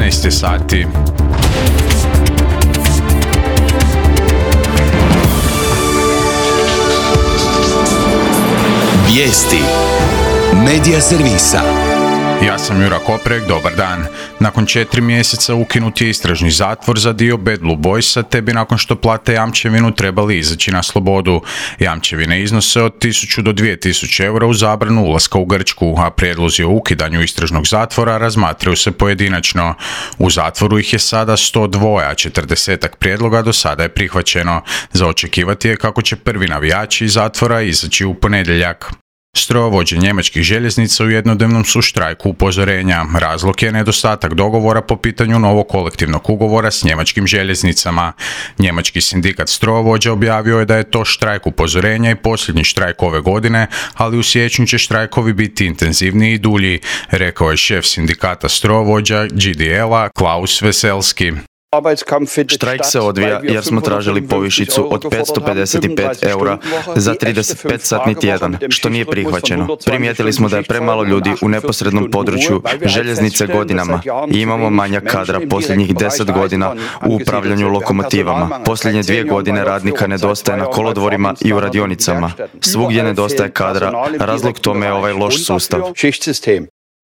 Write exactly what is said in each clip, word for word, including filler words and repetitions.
jedanaest sati. Vijesti Medija servisa. Ja sam Jura Koprek, dobar dan. Nakon četiri mjeseca ukinut je istražni zatvor za dio Bad Blue Boysa, te bi nakon što plate jamčevinu trebali izaći na slobodu. Jamčevine iznose od tisuću do dvije tisuće eura u zabranu ulaska u Grčku, a prijedlozi o ukidanju istražnog zatvora razmatraju se pojedinačno. U zatvoru ih je sada sto dva, a četrdesetak prijedloga do sada je prihvaćeno. Za očekivati je kako će prvi navijači iz zatvora izaći u ponedjeljak. Strojovođe njemačkih željeznica u jednodnevnom su štrajku upozorenja. Razlog je nedostatak dogovora po pitanju novog kolektivnog ugovora s njemačkim željeznicama. Njemački sindikat strojovođa objavio je da je to štrajk upozorenja i posljednji štrajk ove godine, ali u siječnju će štrajkovi biti intenzivniji i dulji, rekao je šef sindikata strojovođa G D L-a Klaus Veselski. Štrajk se odvija jer smo tražili povišicu od petsto pedeset pet eura za trideset pet satni tjedan, što nije prihvaćeno. Primijetili smo da je premalo ljudi u neposrednom području željeznice godinama i imamo manjak kadra posljednjih deset godina u upravljanju lokomotivama. Posljednje dvije godine radnika nedostaje na kolodvorima i u radionicama. Svugdje nedostaje kadra, razlog tome je ovaj loš sustav.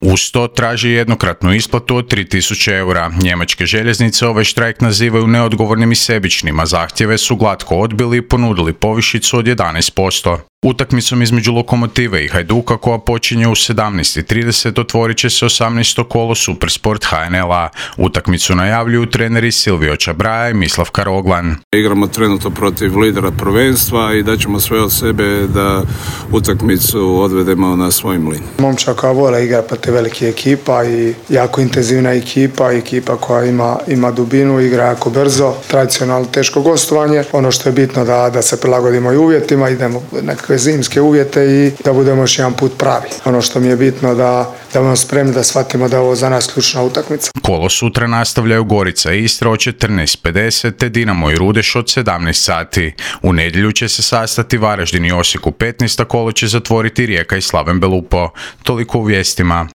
Uz to traži jednokratnu isplatu od tri tisuće eura. Njemačke željeznice ovaj štrajk nazivaju neodgovornim i sebičnim, a zahtjeve su glatko odbili i ponudili povišicu od jedanaest posto. Utakmicom između Lokomotive i Hajduka, koja počinje u sedamnaest trideset, otvorit će se osamnaesto kolo Supersport H N L-a. Utakmicu najavljuju treneri Silvio Čabraja i Mislav Karoglan. Igramo trenutno protiv lidera prvenstva i daćemo sve od sebe da utakmicu odvedemo na svoj mlin. Momčaka vole igra protiv velike ekipa i jako intenzivna ekipa, ekipa koja ima, ima dubinu, igra jako brzo, tradicionalno teško gostovanje. Ono što je bitno da, da se prilagodimo i uvjetima, idemo nekakve zimske uvjete i da budemo još jedan put pravi. Ono što mi je bitno da da budemo spremni da shvatimo da je ovo za nas ključna utakmica. Kolo sutra nastavljaju Gorica i Istra od četrnaest pedeset te Dinamo i Rudeš od sedamnaest sati. U nedjelju će se sastati Varaždin i Osijek u petnaest, a kolo će zatvoriti Rijeka i Slaven Belupo. Toliko u vijestima.